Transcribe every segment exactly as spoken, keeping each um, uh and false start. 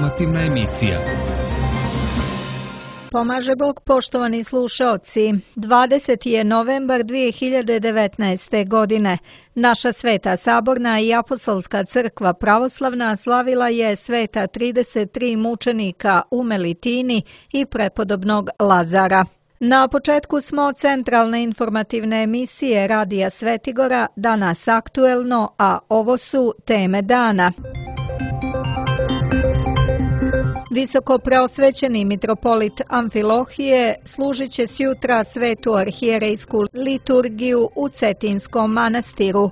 informativna emisija. Pomaže Bog, poštovani slušaoci. dvadeseti je novembar dvije hiljade devetnaeste. godine. Naša Sveta Saborna i Apostolska crkva pravoslavna slavila je sveta trideset tri mučenika u Melitini i prepodobnog Lazara. Na početku smo centralne informativne emisije Radija Svetigora, danas aktuelno, a ovo su teme dana. Visoko preosvećeni mitropolit Amfilohije služit će sjutra svetu arhijerejsku liturgiju u Cetinskom manastiru.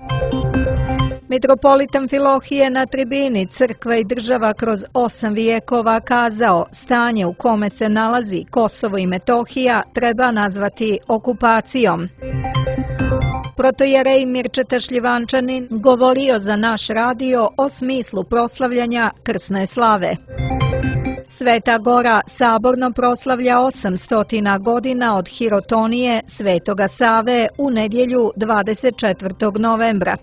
Mitropolit Amfilohije na tribini Crkva i država kroz osam vijekova kazao: stanje u kome se nalazi Kosovo i Metohija treba nazvati okupacijom. Protojerej Mirčeta Šljivančanin govorio za naš radio o smislu proslavljanja krsne slave. Sveta Gora saborno proslavlja osamsto godina od hirotonije Svetoga Save u nedjelju dvadeset četvrtog novembra.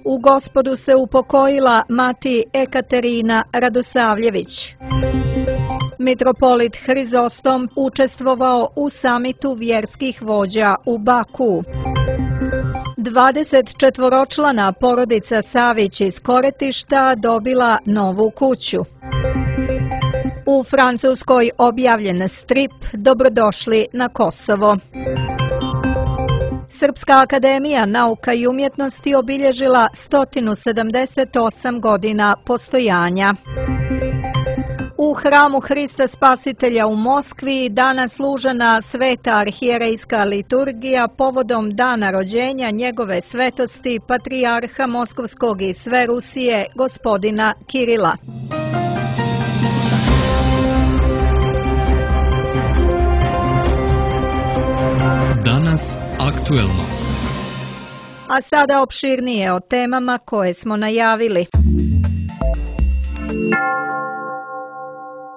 U Gospodu se upokojila mati Ekaterina Radosavljević. Mitropolit Hrizostom učestvovao u samitu vjerskih vođa u Baku. dvadeset četvoročlana porodica Savić iz Koretišta dobila novu kuću. U Francuskoj objavljen strip Dobrodošli na Kosovo. Srpska akademija nauka i umjetnosti obilježila sto sedamdeset osam godina postojanja. U hramu Hrista Spasitelja u Moskvi danas služena sveta arhijerejska liturgija povodom dana rođenja njegove svetosti patrijarha Moskovskog i sve Rusije gospodina Kirila. Danas aktuelno. A sada opširnije o temama koje smo najavili.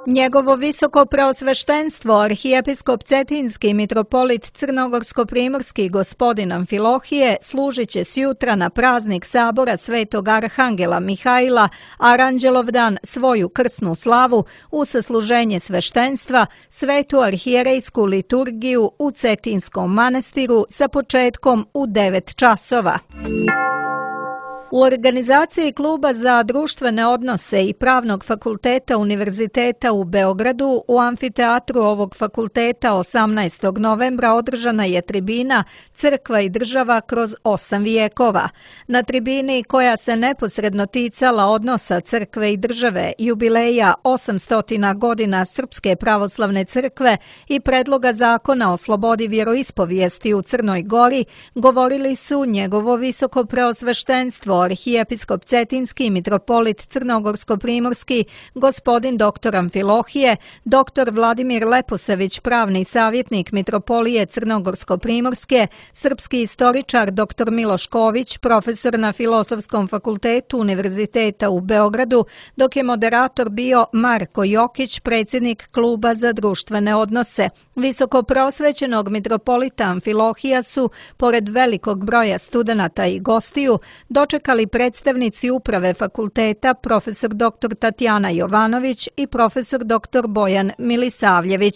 Njegovo visoko preosveštenstvo arhijepiskop Cetinski mitropolit Crnogorsko-primorski gospodin Amfilohije služit će sjutra na praznik sabora Svetog Arhangela Mihajla, Aranđelovdan, svoju krsnu slavu u sasluženje sveštenstva, svetu arhijerejsku liturgiju u Cetinskom manastiru sa početkom u devet časova. U organizaciji Kluba za društvene odnose i Pravnog fakulteta Univerziteta u Beogradu u amfiteatru ovog fakulteta osamnaestog novembra održana je tribina Crkva i država kroz osam vijekova. Na tribini koja se neposredno ticala odnosa crkve i države, jubileja osamsto godina Srpske pravoslavne crkve i predloga zakona o slobodi vjeroispovijesti u Crnoj Gori, govorili su njegovo visoko preosveštenstvo arhijepiskop Cetinski mitropolit Crnogorsko-primorski gospodin doktor Amfilohije, doktor Vladimir Leposević, pravni savjetnik mitropolije Crnogorsko-primorske, srpski istoričar doktor Miloš Ković, profesor na Filozofskom fakultetu Univerziteta u Beogradu, dok je moderator bio Marko Jokić, predsjednik Kluba za društvene odnose. Visoko prosvećenog mitropolita Amfilohija su, pored velikog broja studenata i gostiju, dočekali predstavnici uprave fakulteta profesor doktor Tatjana Jovanović i profesor doktor Bojan Milisavljević.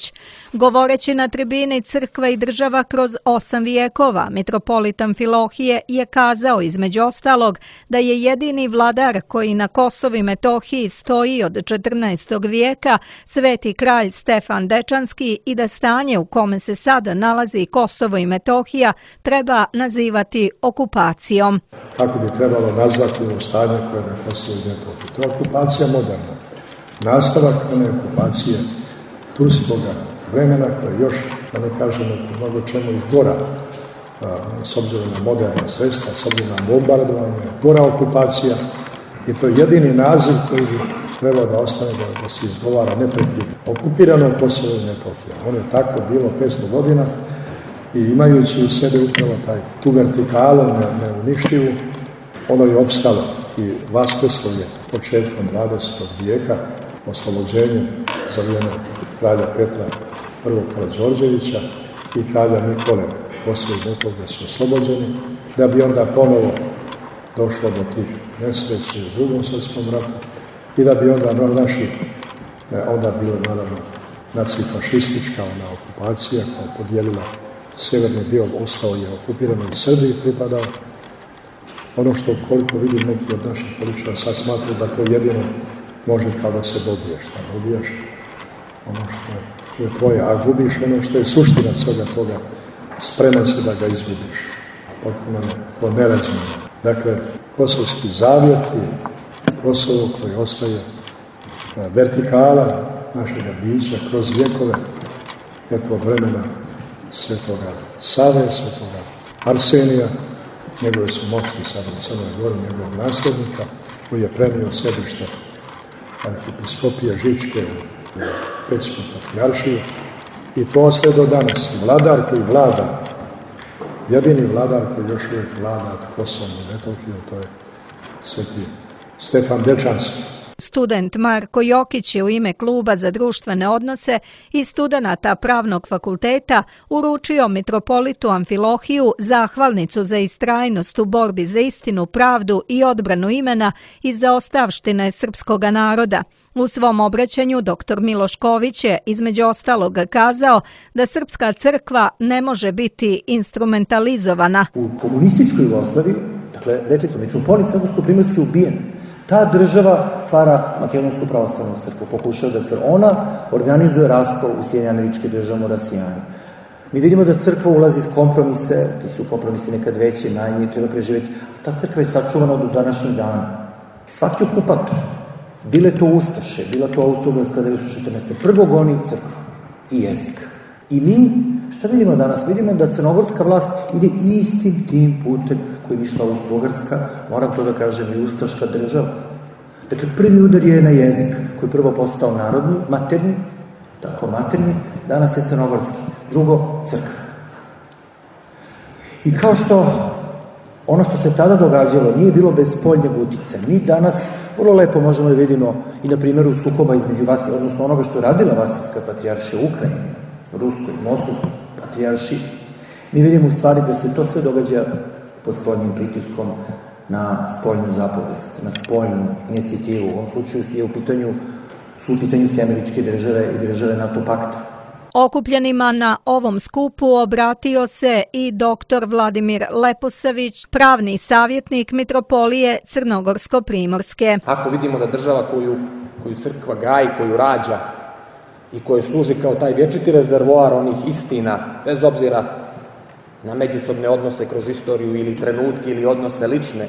Govoreći na tribini Crkva i država kroz osam vijekova, mitropolit Amfilohije je kazao između ostalog da je jedini vladar koji na Kosovu i Metohiji stoji od četrnaestog vijeka sveti kralj Stefan Dečanski i da stanje u kome se sada nalazi Kosovo i Metohija treba nazivati okupacijom. Kako bi trebalo nazvati ovo stanje koje je na Kosovu i Metohiji? To je okupacija moderna. Nastavak one okupacije turskoga vremena koje još, da ne kažemo, mnogo čemu i gora, s obzirom na moderna sredstva, s obzirom na bombardovanje, gora okupacija, i to je jedini naziv koji bi trebao da ostane da, da se izgovara neprekidno. Okupirano Kosovo i Metohija. Ono je tako bilo petsto godina i imajući u sebe upravo taj, tu vertikalu neuništivu, ono je opstalo i vaskrslo je početkom dvadesetog vijeka oslobođenjem za vrijeme kralja Petra prvog Karađorđevića i kralja Nikole Kosovo i Metohija su oslobođeni, da bi onda ponovo došlo do tih nesreća u drugom svjetskom ratu i da bi onda no, naši, onda bilo naravno nacifašistička ona okupacija koja je podijelila sjeverni dio, ostao je okupiran i Srbiji pripadao. Ono što koliko vidim neki od naših političara sad smatruju da to jedino može kao da se dobiješ, da dobijaš ono što je tvoje, a gubiš ono što je suština svega toga, spreman se da ga izgubiš. Potpuno ne, to nerazumno. Dakle, kosovski zavjet i Kosovo koji ostaje vertikala našega bića kroz vjekove, kako od vremena Svetoga Save, Svetoga Arsenija, njegove su moćni sada u Crnoj Gori, njegovog nasljednika, koji je prenio sedište arhipiskopije Žičke u Pećku patrijaršiju, i to sve do danas. Vladar koji vlada, jedini vladar koji još uvijek vlada od Kosovom i Metohijom, to je sveti Stefan Dečanski. Student Marko Jokić je u ime Kluba za društvene odnose i studenata Pravnog fakulteta uručio mitropolitu Amfilohiju zahvalnicu za istrajnost u borbi za istinu, pravdu i odbranu imena i za ostavštine srpskog naroda. U svom obraćanju doktor Miloš Ković je između ostalog kazao da srpska crkva ne može biti instrumentalizovana. U komunističkoj Jugoslaviji, dakle, rekli smo, mitropolit Crnogorsko-primorski je ubijen. Ta država stvara Makedonsku pravoslavnu crkvu, pokušava da se ona organizuje raskol u Sjedinjene Američke Države, rasijanje. Mi vidimo da crkva ulazi s kompromise, ti su kompromisi nekad veći, najmanje, treba preživjeti. Ta crkva je sačuvana do današnjeg dana. Svaki okupator, bile to Ustaše, bila to Austro-Ugarska devetsto četrnaeste. Prvo goni crkvu i jezik. I mi, šta vidimo danas? Vidimo da crnogorska vlast ide istim tim putem koji je išla Austro-Ugarska, moram to da kažem, i ustaška država. Dakle, prvi udar je na jezik, koji je prvo postao narodni, materni, tako materni, danas je crnogorski. Drugo, crkva. I kao što ono što se tada događalo nije bilo bez spoljnjeg uticaja. Mi danas vrlo lepo možemo da vidimo i na primjeru sukoba između vas, odnosno onoga što je radila Vasilevska patrijaršija u Ukrajini, Ruskoj, Moskovskoj patrijaršiji. Mi vidimo u stvari da se to sve događa pod spoljnim pritiskom na spoljnu zapovest, na spoljnu inicijativu. U ovom slučaju je u pitanju, su u pitanju sve američke države i države NATO pakta. Okupljenima na ovom skupu obratio se i doktor Vladimir Leposavić, pravni savjetnik mitropolije Crnogorsko-primorske. Ako vidimo da država koju, koju crkva gaji, koju rađa i koju služi kao taj vječiti rezervoar onih istina, bez obzira na međusobne odnose kroz istoriju ili trenutke ili odnose lične,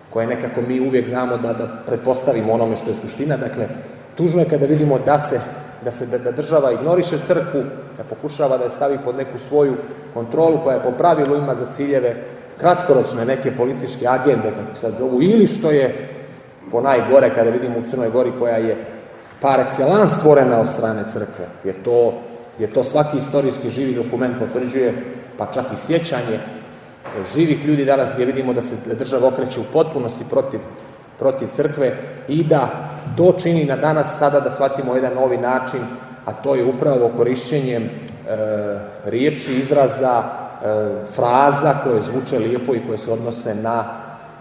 koje nekako mi uvijek znamo da, da pretpostavimo onome što je suština. Dakle, tužno je kada vidimo da se da se da država ignoriše crkvu, da pokušava da je stavi pod neku svoju kontrolu koja je po pravilu ima za ciljeve kratkoročne neke političke agende, kako sad zovu, ili što je po najgore kada vidimo u Crnoj Gori koja je par excellence stvorena od strane crkve, jer to, jer to svaki istorijski živi dokument potvrđuje, pa čak i sjećanje živih ljudi danas gdje vidimo da se država okreće u potpunosti protiv, protiv crkve i da to čini na danas sada da shvatimo jedan novi način, a to je upravo korišćenjem e, riječi, izraza, e, fraza koje zvuče lijepo i koje se odnose na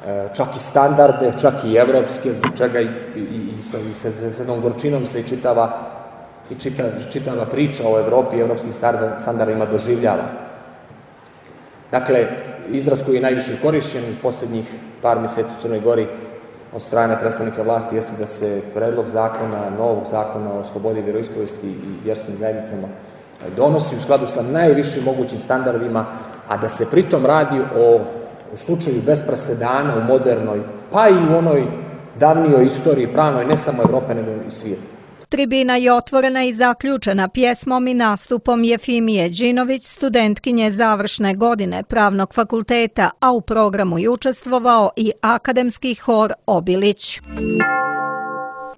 e, čak i standarde, čak i evropske, zbog čega i, i, i, i sa jednom gorčinom se i čitava, i čitava, čitava priča o Evropi i evropskim standardima doživljava. Dakle, izraz koji je najviše korišćen u posljednjih par mjeseci u Crnoj Gori od strane predstavnika vlasti jeste da se predlog zakona, novog zakona o slobodi vjeroispovijesti i vjerskim zajednicama donosi u skladu sa najvišim mogućim standardima, a da se pritom radi o u slučaju bez presedana u modernoj, pa i u onoj davnijoj istoriji pravnoj, ne samo Evrope, nego i svijeta. Tribina je otvorena i zaključena pjesmom i nastupom Jefimije Đinović, studentkinje završne godine Pravnog fakulteta, a u programu je učestvovao i akademski hor Obilić.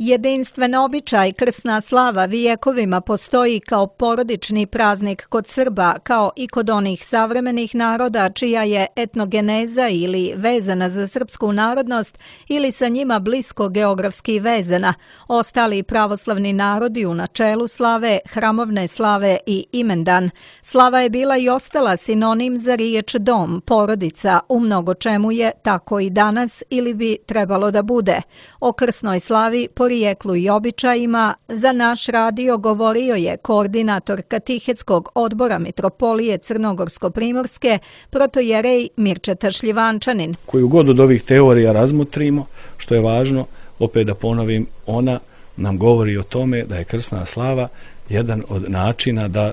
Jedinstven običaj krsna slava vijekovima postoji kao porodični praznik kod Srba, kao i kod onih savremenih naroda čija je etnogeneza ili vezana za srpsku narodnost ili sa njima blisko geografski vezana. Ostali pravoslavni narodi u načelu slave, hramovne slave i imendan. Slava je bila i ostala sinonim za riječ dom, porodica, u mnogo čemu je tako i danas ili bi trebalo da bude. O krsnoj slavi, porijeklu i običajima za naš radio govorio je koordinator Katehetskog odbora Mitropolije Crnogorsko-Primorske, protojerej Mirčeta Šljivančanin. Koju god od ovih teorija razmotrimo, što je važno, opet da ponovim, ona nam govori o tome da je krsna slava jedan od načina da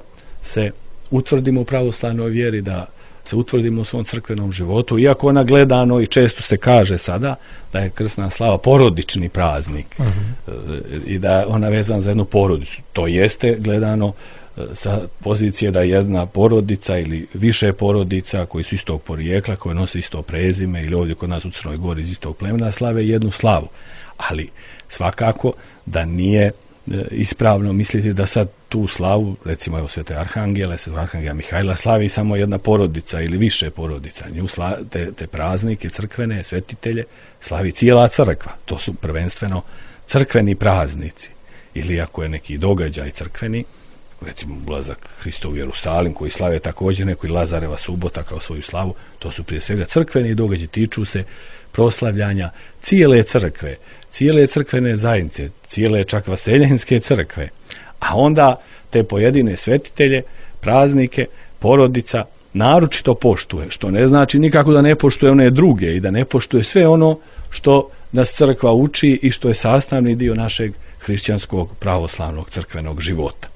se utvrdimo u pravoslavnoj vjeri, da se utvrdimo u svom crkvenom životu, iako ona gledano i često se kaže sada da je krsna slava porodični praznik uh-huh. i da je ona vezana za jednu porodicu. To jeste gledano sa pozicije da jedna porodica ili više porodica koji su istog porijekla, koji nose isto prezime ili ovdje kod nas u Crnoj Gori iz istog plemena slave jednu slavu. Ali svakako da nije ispravno misliti da sad tu slavu, recimo evo Svete Arhangele, Svete Arhangela Mihajla slavi samo jedna porodica ili više porodica. Nju sla, te, te praznike crkvene, svetitelje slavi cijela crkva. To su prvenstveno crkveni praznici. Ili ako je neki događaj crkveni, recimo ulazak Hristov u Jerusalim koji slave također neko i Lazareva subota kao svoju slavu, to su prije svega crkveni događaji, tiču se proslavljanja cijele crkve, cijele crkvene zajednice, cijele čak vaseljenske crkve, a onda te pojedine svetitelje, praznike, porodica naročito poštuje, što ne znači nikako da ne poštuje one druge i da ne poštuje sve ono što nas crkva uči i što je sastavni dio našeg hrišćanskog pravoslavnog crkvenog života.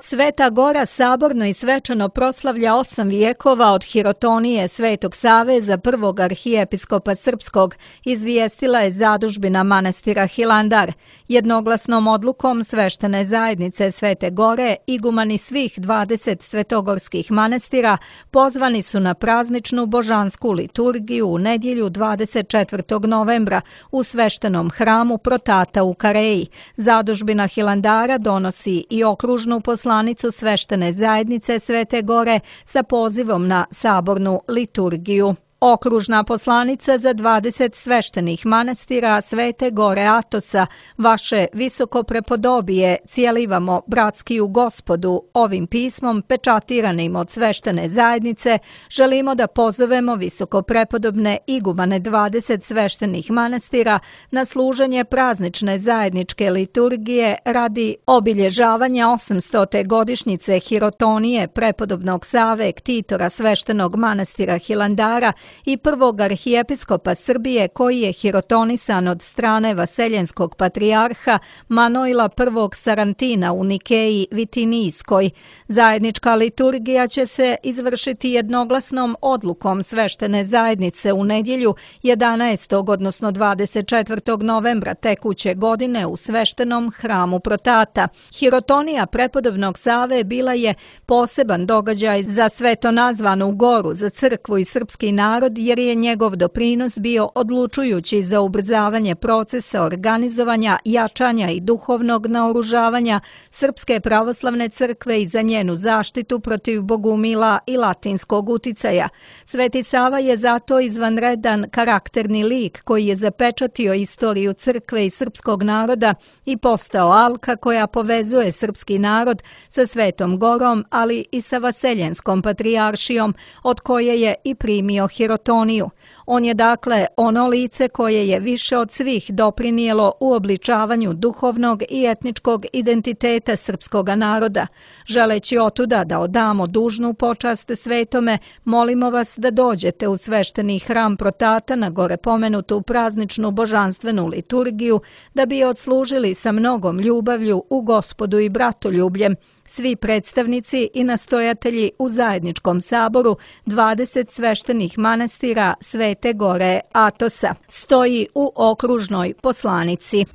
Sveta Gora saborno i svečano proslavlja osam vijekova od hirotonije Svetog Save za prvog arhijepiskopa srpskog, izvijestila je zadužbina manastira Hilandar. Jednoglasnom odlukom sveštene zajednice Svete Gore, igumani svih dvadeset svetogorskih manastira pozvani su na prazničnu božansku liturgiju u nedjelju dvadeset četvrtog novembra u sveštenom hramu Protata u Kareji. Zadužbina Hilandara donosi i okružnu poslanicu sveštene zajednice Svete Gore sa pozivom na sabornu liturgiju. Okružna poslanica za dvadeset sveštenih manastira Svete Gore Atosa, vaše visoko prepodobije, cijelivamo bratski u Gospodu, ovim pismom pečatiranim od sveštene zajednice, želimo da pozovemo visoko prepodobne igumane dvadeset sveštenih manastira na služenje praznične zajedničke liturgije radi obilježavanja osamstote godišnjice hirotonije prepodobnog Save ktitora sveštenog manastira Hilandara i prvog arhijepiskopa Srbije koji je hirotonisan od strane vaseljenskog patrijarha Manojla prvog Sarantina u Nikeji Vitinijskoj. Zajednička liturgija će se izvršiti jednoglasnom odlukom sveštene zajednice u nedjelju jedanaestog odnosno dvadeset četvrtog novembra tekuće godine u sveštenom hramu Protata. Hirotonija prepodobnog Save bila je poseban događaj za sveto nazvanu goru, za crkvu i srpski narod, jer je njegov doprinos bio odlučujući za ubrzavanje procesa organizovanja, jačanja i duhovnog naoružavanja Srpske pravoslavne crkve i za njenu zaštitu protiv bogumila i latinskog uticaja. Sveti Sava je zato izvanredan karakterni lik koji je zapečatio istoriju crkve i srpskog naroda i postao alka koja povezuje srpski narod sa Svetom Gorom, ali i sa vaseljenskom patrijaršijom, od koje je i primio hirotoniju. On je dakle ono lice koje je više od svih doprinijelo u obličavanju duhovnog i etničkog identiteta srpskog naroda. Želeći otuda da odamo dužnu počast svetome, molimo vas da dođete u svešteni hram Protata na gore pomenutu prazničnu božanstvenu liturgiju, da bi je odslužili sa mnogom ljubavlju u Gospodu i bratoljubljem. Svi predstavnici i nastojatelji u zajedničkom saboru dvadeset sveštenih manastira Svete Gore Atosa, stoji u okružnoj poslanici.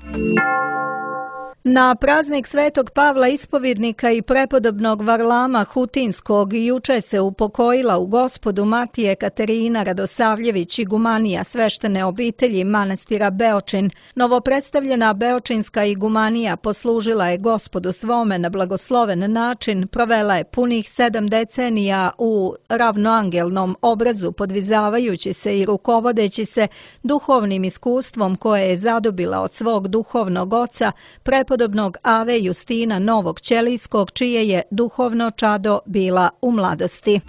Na praznik Svetog Pavla Ispovjednika i prepodobnog Varlama Hutinskog juče se upokojila u Gospodu Matije Katerina Radosavljević, igumanija sveštene obitelji manastira Beočin. Novopredstavljena beočinska igumanija poslužila je Gospodu svome na blagosloven način, provela je punih sedam decenija u ravnoangelnom obrazu, podvizavajući se i rukovodeći se duhovnim iskustvom koje je zadobila od svog duhovnog oca, prepodobnog prepodobnog Ave Justina Novog Ćelijskog, čije je duhovno čado bila u mladosti.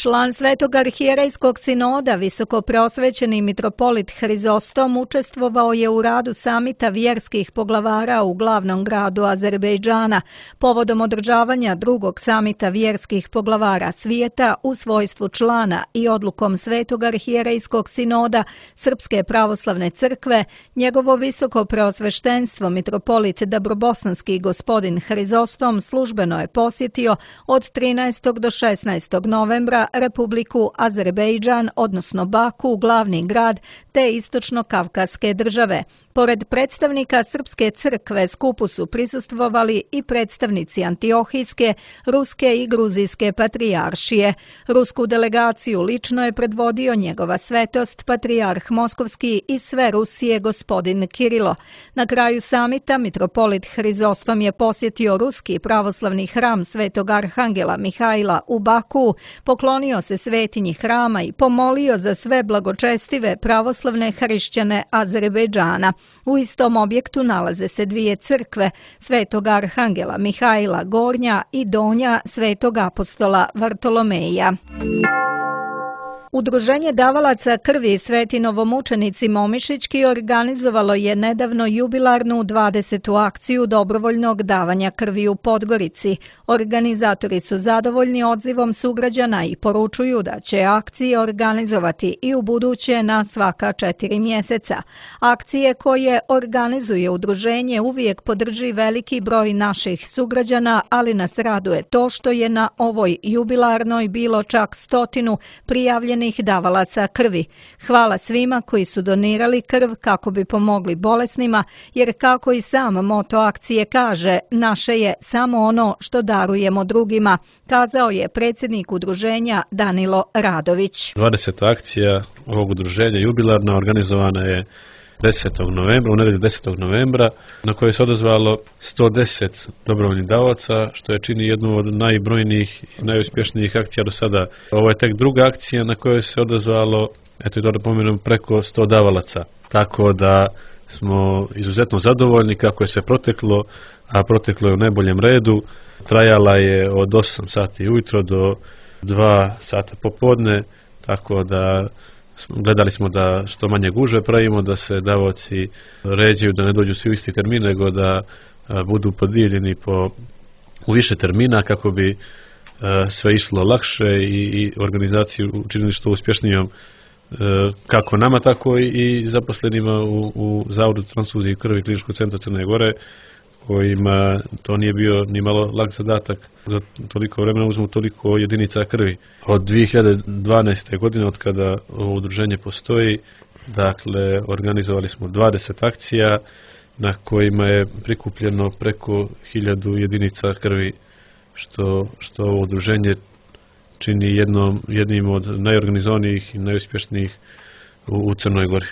Član Svetog arhijerejskog sinoda, visokopreosvećeni mitropolit Hrizostom, učestvovao je u radu samita vjerskih poglavara u glavnom gradu Azerbejdžana, povodom održavanja drugog samita vjerskih poglavara svijeta u svojstvu člana i odlukom Svetog arhijerejskog sinoda Srpske pravoslavne crkve, njegovo visokopreosveštenstvo mitropolit Dabrobosanski gospodin Hrizostom službeno je posjetio od trinaestog do šesnaestog novembra Republiku Azerbejdžan, odnosno Baku, glavni grad te istočno-kavkaske države. Pored predstavnika Srpske crkve skupu su prisustvovali i predstavnici Antiohijske, Ruske i Gruzijske patrijaršije. Rusku delegaciju lično je predvodio njegova svetost, patrijarh Moskovski i sve Rusije gospodin Kirilo. Na kraju samita mitropolit Hrizostom je posjetio ruski pravoslavni hram Svetog Arhangela Mihajla u Baku, poklonio se svetinji hrama i pomolio za sve blagočestive pravoslavne hrišćane Azerbejdžana. U istom objektu nalaze se dvije crkve, Svetog Arhangela Mihajla Gornja i Donja Svetog apostola Vartolomeja. Udruženje davalaca krvi Sveti novomučenici Momišićki organizovalo je nedavno jubilarnu dvadesetu akciju dobrovoljnog davanja krvi u Podgorici. Organizatori su zadovoljni odzivom sugrađana i poručuju da će akcije organizovati i u buduće na svaka četiri mjeseca. Akcije koje organizuje udruženje uvijek podrži veliki broj naših sugrađana, ali nas raduje to što je na ovoj jubilarnoj bilo čak stotinu prijavljenih davalaca krvi. Hvala svima koji su donirali krv kako bi pomogli bolesnima, jer kako i sam moto akcije kaže, naše je samo ono što darujemo drugima, kazao je predsjednik udruženja Danilo Radović. dvadeseta akcija ovog udruženja jubilarna organizovana je desetog novembra, u nedjelju desetog novembra, na kojoj se odazvalo sto deset dobrovoljnih davaoca, što je čini jednu od najbrojnijih i najuspješnijih akcija do sada. Ovo je tek druga akcija na kojoj se odazvalo, eto i to da pomenem, preko sto davalaca. Tako da smo izuzetno zadovoljni kako je sve proteklo, a proteklo je u najboljem redu. Trajala je od osam sati ujutro do dva sata popodne, tako da gledali smo da što manje gužve pravimo, da se davaoci ređaju, da ne dođu svi u isti termin, nego da budu podijeljeni po, u više termina kako bi sve išlo lakše i, i organizaciju učinili što uspješnijom kako nama, tako i zaposlenima u, u Zavodu transfuzije krvi Kliničkog centra Crne Gore, kojima to nije bio ni malo lak zadatak. Za toliko vremena uzmu toliko jedinica krvi. Od dvije hiljade dvanaeste. godine, od kada ovo udruženje postoji, dakle, organizovali smo dvadeset akcija na kojima je prikupljeno preko hiljadu jedinica krvi, što, što ovo udruženje čini jednom, jednim od najorganizovanijih i najuspješnijih u, u Crnoj Gori.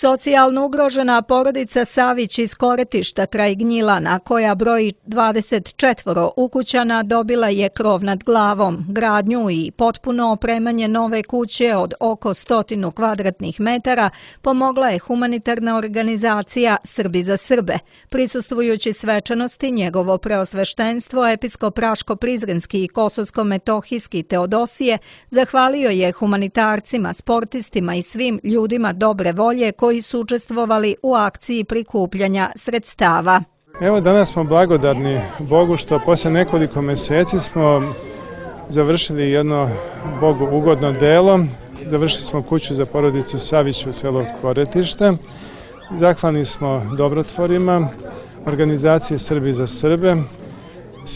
Socijalno ugrožena porodica Savić iz Koretišta kraj Gnjilana, koja broji dvadeset četvoro ukućana, dobila je krov nad glavom, gradnju i potpuno opremanje nove kuće od oko stotinu kvadratnih metara pomogla je humanitarna organizacija Srbi za Srbe. Prisustvujući svečanosti, njegovo preosveštenstvo, episkop Raško-Prizrenski i Kosovsko-Metohijski Teodosije zahvalio je humanitarcima, sportistima i svim ljudima dobre volje koji su učestvovali u akciji prikupljanja sredstava. Evo, danas smo blagodarni Bogu što posle nekoliko mjeseci smo završili jedno Bogu ugodno delo. Završili smo kuću za porodicu Savić u selu Koretište. Zahvalni smo dobrotvorima, organizaciji Srbi za Srbe,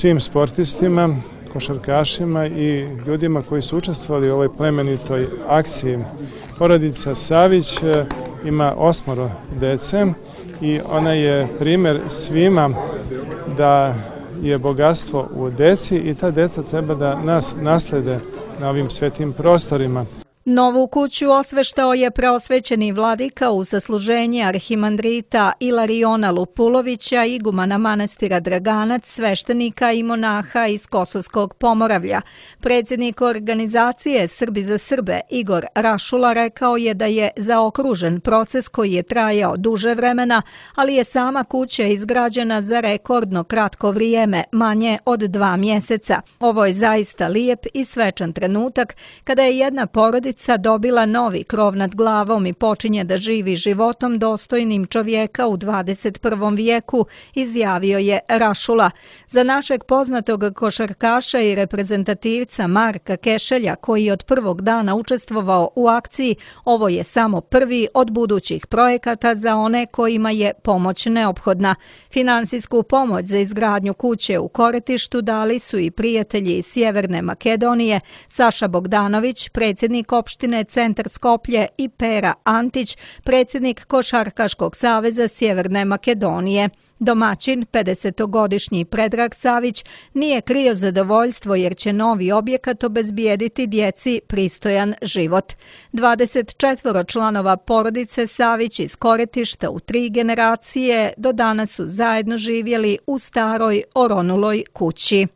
svim sportistima, košarkašima i ljudima koji su učestvovali u ovoj plemenitoj akciji. Porodica Savić ima osmoro dece i ona je primjer svima da je bogatstvo u deci i ta deca treba da nas naslede na ovim svetim prostorima. Novu kuću osveštao je preosvećeni vladika u sasluženje arhimandrita Ilariona Lupulovića, igumana manastira Draganac, sveštenika i monaha iz Kosovskog Pomoravlja. Predsjednik organizacije Srbi za Srbe Igor Rašula rekao je da je zaokružen proces koji je trajao duže vremena, ali je sama kuća izgrađena za rekordno kratko vrijeme, manje od dva mjeseca. Ovo je zaista lijep i svečan trenutak kada je jedna porodica dobila novi krov nad glavom i počinje da živi životom dostojnim čovjeka u dvadeset prvom vijeku, izjavio je Rašula. Za našeg poznatog košarkaša i reprezentativca Marka Kešelja, koji je od prvog dana učestvovao u akciji, ovo je samo prvi od budućih projekata za one kojima je pomoć neophodna. Finansijsku pomoć za izgradnju kuće u Koretištu dali su i prijatelji iz Sjeverne Makedonije, Saša Bogdanović, predsjednik opštine Centar Skoplje, i Pera Antić, predsjednik Košarkaškog saveza Sjeverne Makedonije. Domaćin, pedesetogodišnji Predrag Savić, nije krio zadovoljstvo jer će novi objekat obezbijediti djeci pristojan život. dvadeset četvoro članova porodice Savić iz Koretišta u tri generacije do danas su zajedno živjeli u staroj oronuloj kući.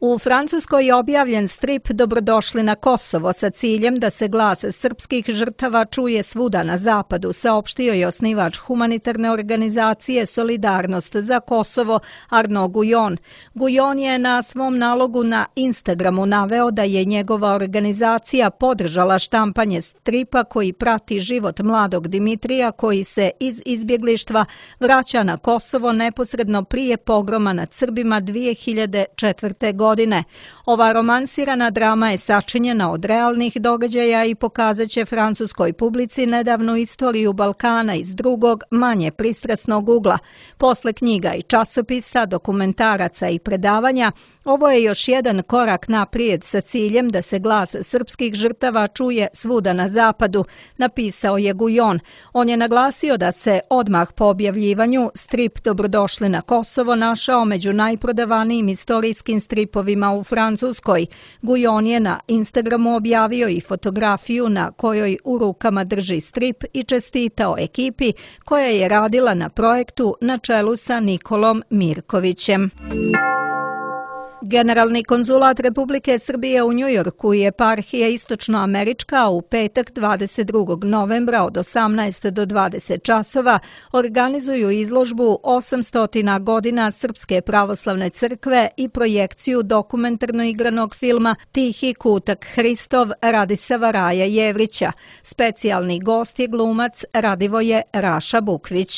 U Francuskoj je objavljen strip Dobrodošli na Kosovo sa ciljem da se glas srpskih žrtava čuje svuda na zapadu, saopštio je osnivač humanitarne organizacije Solidarnost za Kosovo Arnaud Guyon. Guyon je na svom nalogu na Instagramu naveo da je njegova organizacija podržala štampanje stripa koji prati život mladog Dimitrija koji se iz izbjeglištva vraća na Kosovo neposredno prije pogroma nad Srbima dvije hiljade četvrte. godine. Ova romansirana drama je sačinjena od realnih događaja i pokazat će francuskoj publici nedavnu istoriju Balkana iz drugog, manje pristrasnog ugla. Posle knjiga i časopisa, dokumentaraca i predavanja, ovo je još jedan korak naprijed sa ciljem da se glas srpskih žrtava čuje svuda na zapadu, napisao je Guyon. On je naglasio da se odmah po objavljivanju strip Dobrodošli na Kosovo našao među najprodavanijim istorijskim stripovima u Francuskoj. Guyon je na Instagramu objavio i fotografiju na kojoj u rukama drži strip i čestitao ekipi koja je radila na projektu na čelu sa Nikolom Mirkovićem. Generalni konzulat Republike Srbije u Njujorku i eparhija Istočnoamerička u petak dvadeset drugog novembra od osamnaest do dvadeset časova organizuju izložbu osamsto godina Srpske pravoslavne crkve i projekciju dokumentarno igranog filma Tihi kutak Hristov Radisava Raja Jevrića. Specijalni gost je glumac Radivoje Raša Bukvić.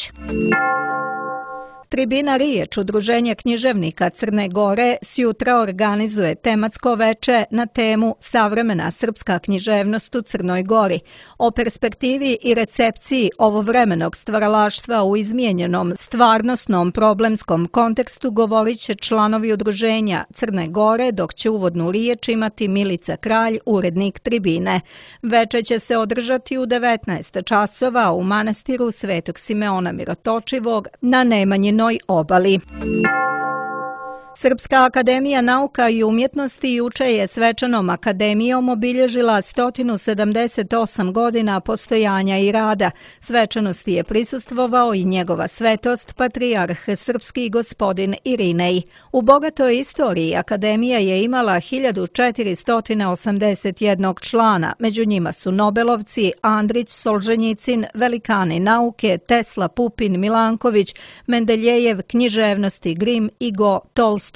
Tribina Riječ, udruženje književnika Crne Gore, sjutra organizuje tematsko veče na temu Savremena srpska književnost u Crnoj Gori. O perspektivi i recepciji ovovremenog stvaralaštva u izmijenjenom stvarnosnom problemskom kontekstu govorit će članovi udruženja Crne Gore, dok će uvodnu riječ imati Milica Kralj, urednik Tribine. Veče će se održati u devetnaest časova u manastiru Svetog Simeona Mirotočivog na Nemanjinoj obali. Srpska akademija nauka i umjetnosti juče je svečanom akademijom obilježila sto sedamdeset osam godina postojanja i rada. Svečanosti je prisustvovao i njegova svetost, patrijarh srpski gospodin Irinej. U bogatoj istoriji akademija je imala hiljadu četiristo osamdeset jedan člana, među njima su Nobelovci, Andrić, Solženjicin, velikani nauke, Tesla, Pupin, Milanković, Mendeljejev, književnosti, Grim i Go Tolstoj.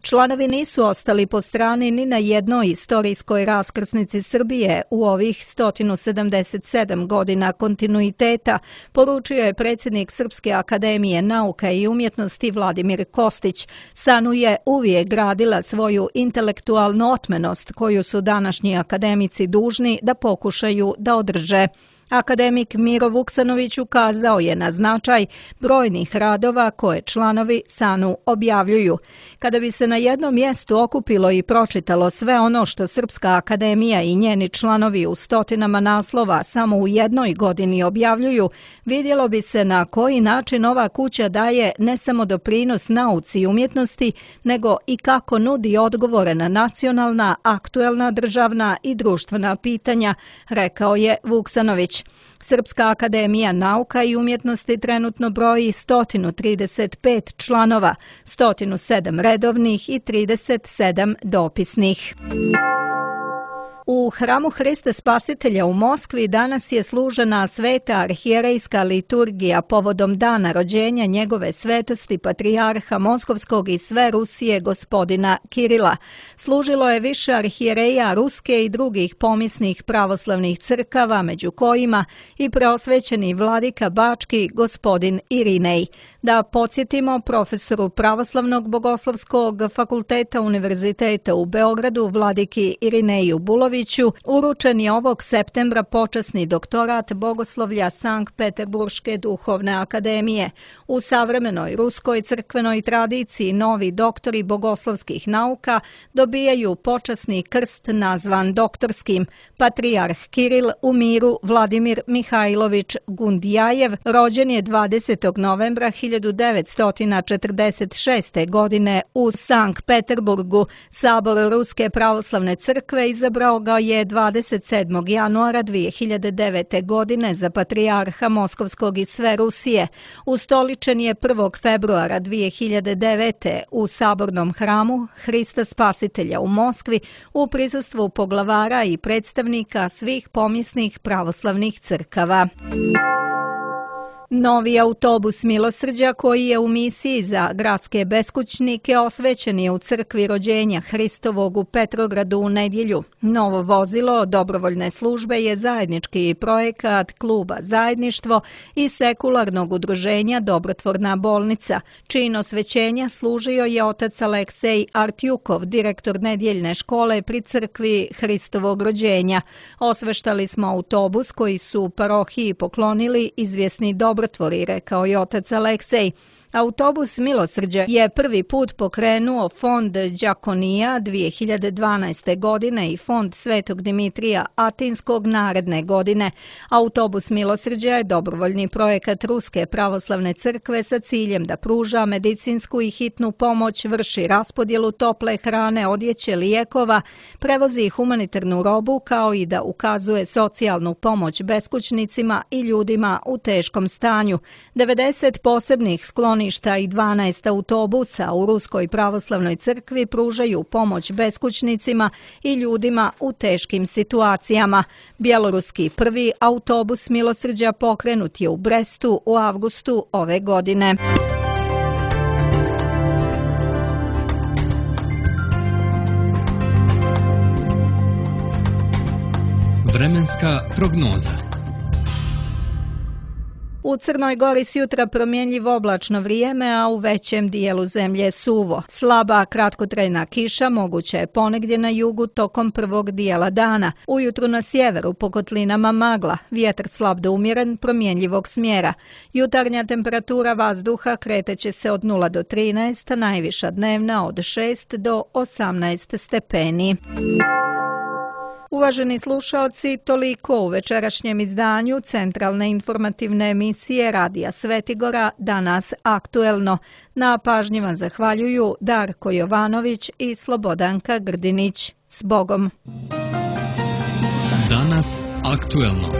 Članovi nisu ostali po strani ni na jednoj istorijskoj raskrsnici Srbije u ovih sto sedamdeset sedam godina kontinuiteta, poručio je predsjednik Srpske akademije nauka i umjetnosti Vladimir Kostić. SANU je uvijek gradila svoju intelektualnu otmenost koju su današnji akademici dužni da pokušaju da održe. Akademik Miro Vuksanović ukazao je na značaj brojnih radova koje članovi SANU objavljuju. Kada bi se na jednom mjestu okupilo i pročitalo sve ono što Srpska akademija i njeni članovi u stotinama naslova samo u jednoj godini objavljuju, vidjelo bi se na koji način ova kuća daje ne samo doprinos nauci i umjetnosti, nego i kako nudi odgovore na nacionalna, aktuelna državna i društvena pitanja, rekao je Vuksanović. Srpska akademija nauka i umjetnosti trenutno broji sto trideset pet članova, sto sedam redovnih i trideset sedam dopisnih. U hramu Hrista Spasitelja u Moskvi danas je služena sveta arhijerejska liturgija povodom dana rođenja njegove svetosti patrijarha Moskovskog i sve Rusije gospodina Kirila. Služilo je više arhijereja ruske i drugih pomisnih pravoslavnih crkava, među kojima i preosvećeni vladika Bački gospodin Irinej. Da podsjetimo, profesoru Pravoslavnog bogoslovskog fakulteta Univerziteta u Beogradu, vladiki Irineju Buloviću, uručen je ovog septembra počasni doktorat bogoslovlja Sankt Peterburške duhovne akademije. U savremenoj ruskoj crkvenoj tradiciji novi doktori bogoslovskih nauka dobijaju počasni krst nazvan doktorskim. Patrijarh Kiril u miru Vladimir Mihajlović Gundijajev rođen je dvadesetog novembra hiljadu devetsto četrdeset šeste. godine u Sankt Peterburgu. Sabor Ruske pravoslavne crkve izabrao ga je dvadeset sedmog januara dvije hiljade devete. godine za patrijarha Moskovskog i sve Rusije. Ustoličen je prvog februara dvije hiljade devete. u sabornom hramu Hrista Spasitelja u Moskvi u prisustvu poglavara i predstavnika svih pomisnih pravoslavnih crkava. Novi autobus Milosrđa koji je u misiji za gradske beskućnike osvećen je u crkvi rođenja Hristovog u Petrogradu u nedjelju. Novo vozilo dobrovoljne službe je zajednički projekat kluba Zajedništvo i sekularnog udruženja Dobrotvorna bolnica, čijino osvećenja služio je otac Aleksej Artjukov, direktor nedjeljne škole pri crkvi Hristovog rođenja. Osveštali smo autobus koji su parohiji poklonili izvjesni dobrotvori, rekao je otac Aleksej. Autobus Milosrđa je prvi put pokrenuo fond Đakonija dvije hiljade dvanaeste. godine i fond Svetog Dimitrija Atinskog naredne godine. Autobus Milosrđa je dobrovoljni projekat Ruske pravoslavne crkve sa ciljem da pruža medicinsku i hitnu pomoć, vrši raspodjelu tople hrane, odjeće, lijekova, prevozi humanitarnu robu kao i da ukazuje socijalnu pomoć beskućnicima i ljudima u teškom stanju. devedeset posebnih skloništa i dvanaest autobusa u Ruskoj pravoslavnoj crkvi pružaju pomoć beskućnicima i ljudima u teškim situacijama. Bjeloruski prvi autobus Milosrđa pokrenut je u Brestu u avgustu ove godine. Vremenska prognoza. U Crnoj Gori sjutra promjenjivo oblačno vrijeme, a u većem dijelu zemlje suvo. Slaba kratkotrajna kiša moguća je ponegdje na jugu tokom prvog dijela dana. Ujutru na sjeveru po kotlinama magla, vjetar slab do umjeren promjenjivog smjera. Jutarnja temperatura vazduha kreteće se od nula do trinaest, najviša dnevna od šest do osamnaest stepeni. Uvaženi slušaoci, toliko u večerašnjem izdanju centralne informativne emisije Radija Svetigora, danas aktuelno. Na pažnji vam zahvaljuju Darko Jovanović i Slobodanka Grdinić. S Bogom! Danas aktuelno.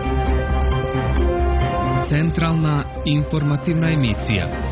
Centralna informativna emisija.